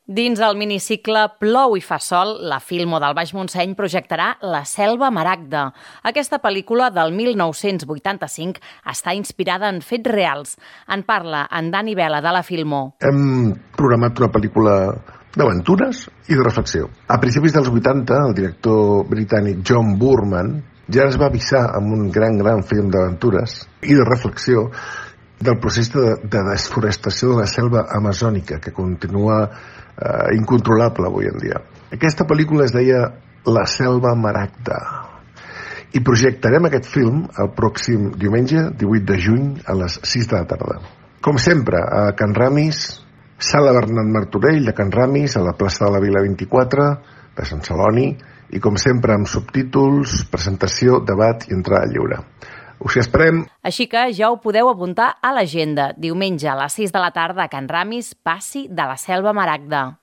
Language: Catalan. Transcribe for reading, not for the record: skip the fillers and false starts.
Dins el minicicle Plou i fa sol, la Filmo del Baix Montseny projectarà La selva maragda. Aquesta pel·lícula del 1985 està inspirada en fets reals. En parla en Dani Vela de la Filmo. Hem programat una pel·lícula d'aventures i de reflexió. A principis dels 80, el director britànic John Boorman ja es va avisar amb un gran film d'aventures i de reflexió del procés de desforestació de la selva amazònica, que continua incontrolable avui en dia. Aquesta pel·lícula es deia La selva maragda i projectarem aquest film el pròxim diumenge 18 de juny a les 6 de la tarda. Com sempre, a Can Ramis, Sala Bernat Martorell de Can Ramis, a la plaça de la Vila 24 de Sant Celoni, i com sempre amb subtítols, presentació, debat i entrada lliure. Us hi esperem. Així que ja ho podeu apuntar a l'agenda. Diumenge a les 6 de la tarda a Can Ramis, passi de la selva maragda.